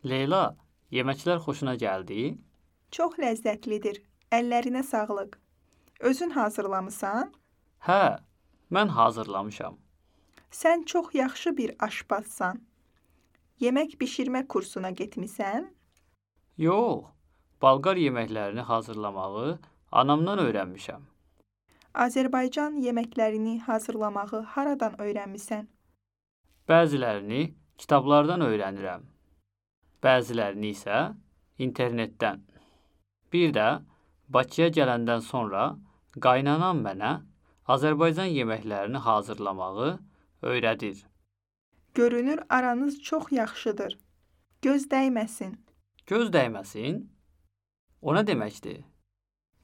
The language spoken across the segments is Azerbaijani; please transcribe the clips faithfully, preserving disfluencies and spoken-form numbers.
Leyla, yeməklər xoşuna gəldi? Çox ləzzətlidir. Əllərinə sağlıq. Özün hazırlamısan? Hə, mən hazırlamışam. Sən çox yaxşı bir aşpazsan. Yemək bişirmə kursuna getmisən? Yox, Balqar yeməklərini hazırlamağı anamdan öyrənmişəm. Azərbaycan yeməklərini hazırlamağı haradan öyrənmisən? Bəzilərini kitablardan öyrənirəm. Bəzilərini isə internetdən. Bir də Bakıya gələndən sonra qaynanam mənə Azərbaycan yeməklərini hazırlamağı öyrədir. Görünür aranız çox yaxşıdır. Göz dəyməsin. Göz dəyməsin? O nə deməkdir?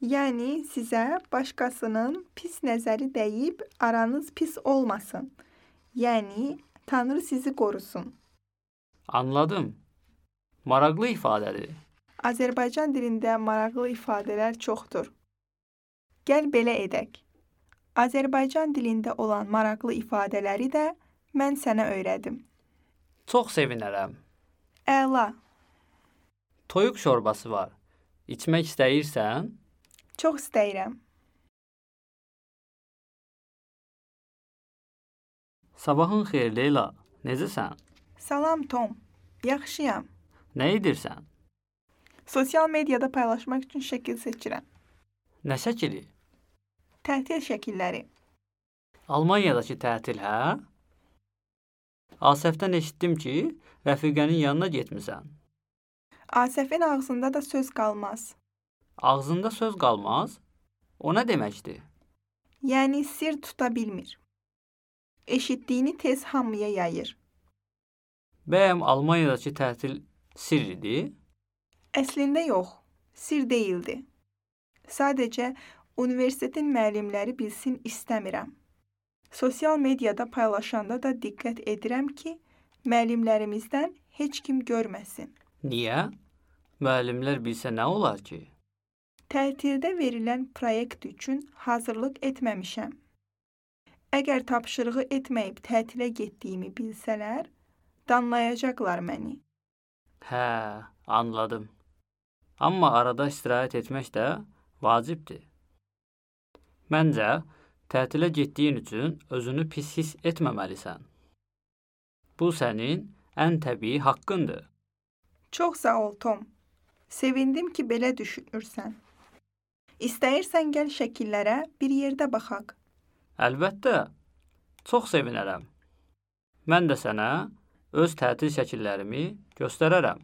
Yəni sizə başqasının pis nəzəri dəyib aranız pis olmasın. Yəni Tanrı sizi qorusun. Anladım. Maraqlı ifadədir. Azərbaycan dilində maraqlı ifadələr çoxdur. Gəl belə edək. Azərbaycan dilində olan maraqlı ifadələri də mən sənə öyrədim. Çox sevinərəm. Əla. Toyuq şorbası var. İçmək istəyirsən? Çox istəyirəm. Sabahın xeyir Leyla. Necəsən? Salam Tom. Yaxşıyam. Nə edirsən? Sosial mediada paylaşmaq üçün şəkil seçirəm. Nə şəkili? Tətil şəkilləri. Almaniyadakı tətil, hə? Asəfdən eşitdim ki, rəfiqənin yanına getmisən. Asəfin ağzında da söz qalmaz. Ağzında söz qalmaz? O nə deməkdir? Yəni sir tuta bilmir. Eşitdiyini tez hamıya yayır. Bəyəm Almaniyadakı tətil sir idi? Əslində yox, sir deyildi. Sadəcə universitetin müəllimləri bilsin istəmirəm. Sosial mediada paylaşanda da diqqət edirəm ki, müəllimlərimizdən heç kim görməsin. Niyə? Müəllimlər bilsə nə olar ki? Tətildə verilən proyekt üçün hazırlıq etməmişəm. Əgər tapşırığı etməyib tətilə getdiyimi bilsələr, danlayacaqlar məni. Hə, anladım. Amma arada istirahət etmək də vacibdir. Məncə, tətilə getdiyin üçün özünü pis hiss etməməlisən. Bu sənin ən təbii haqqındır. Çox sağ ol, Tom. Sevindim ki, belə düşünürsən. İstəyirsən gəl şəkillərə bir yerdə baxaq. Əlbəttə, çox sevinərəm. Mən də sənə öz tətil şəkillərimi göstərərəm.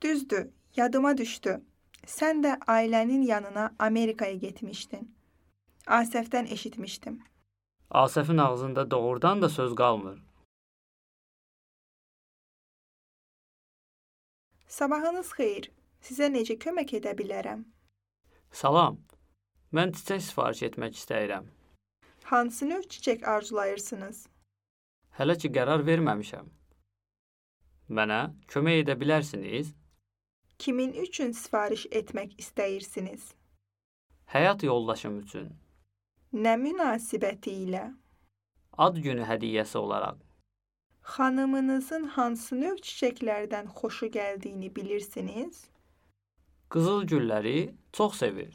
Düzdür, yadıma düşdü. Sən də ailənin yanına Amerikaya getmişdin. Asəfdən eşitmişdim. Asəfin ağzında doğrudan da söz qalmır. Sabahınız xeyir. Sizə necə kömək edə bilərəm? Salam, mən çiçək sifariş etmək istəyirəm. Hansı növ çiçək arzulayırsınız? Hələ ki qərar verməmişəm. Mənə kömək edə bilərsiniz? Kimin üçün sifariş etmək istəyirsiniz? Həyat yoldaşım üçün. Nə münasibəti ilə? Ad günü hədiyyəsi olaraq. Xanımınızın hansı növ çiçəklərdən xoşu gəldiyini bilirsiniz? Qızıl gülləri çox sevir.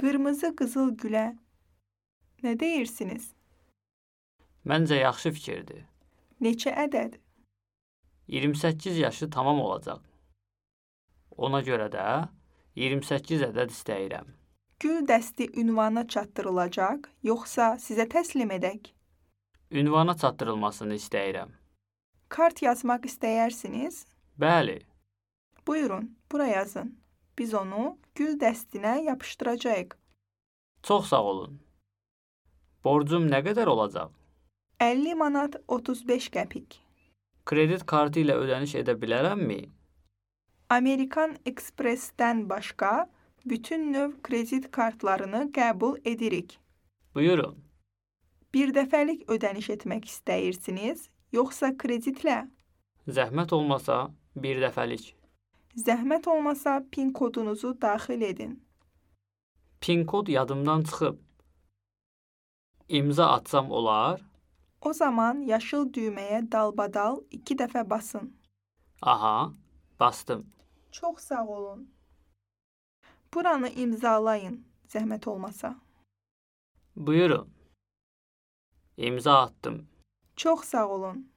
Qırmızı qızıl gülə nə deyirsiniz? Məncə yaxşı fikirdir. Neçə ədəd? iyirmi səkkiz yaşı tamam olacaq. Ona görə də iyirmi səkkiz ədəd istəyirəm. Gül dəsti ünvana çatdırılacaq, yoxsa sizə təslim edək? Ünvana çatdırılmasını istəyirəm. Kart yazmaq istəyirsiniz? Bəli. Buyurun, bura yazın. Biz onu gül dəstinə yapışdıracağıq. Çox sağ olun. Borcum nə qədər olacaq? əlli manat otuz beş qəpik. Kredit kartı ilə ödəniş edə bilərəmmi? Amerikan Express-dən başqa bütün növ kredit kartlarını qəbul edirik. Buyurun. Bir dəfəlik ödəniş etmək istəyirsiniz, yoxsa kreditlə? Zəhmət olmasa bir dəfəlik. Zəhmət olmasa PIN kodunuzu daxil edin. PIN kod yadımdan çıxıb. İmza atsam olar? O zaman yaşıl düyməyə dalbadal iki dəfə basın. Aha, bastım. Çox sağ olun. Buranı imzalayın, zəhmət olmasa. Buyurun. İmza attım. Çox sağ olun.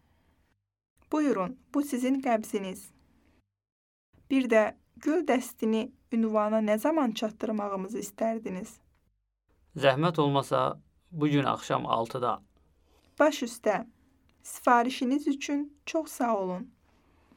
Buyurun, bu sizin qəbziniz. Bir də gül dəstini ünvana nə zaman çatdırmağımızı istərdiniz? Zəhmət olmasa bu gün axşam altıda. Baş üstə. Sifarişiniz üçün çox sağ olun.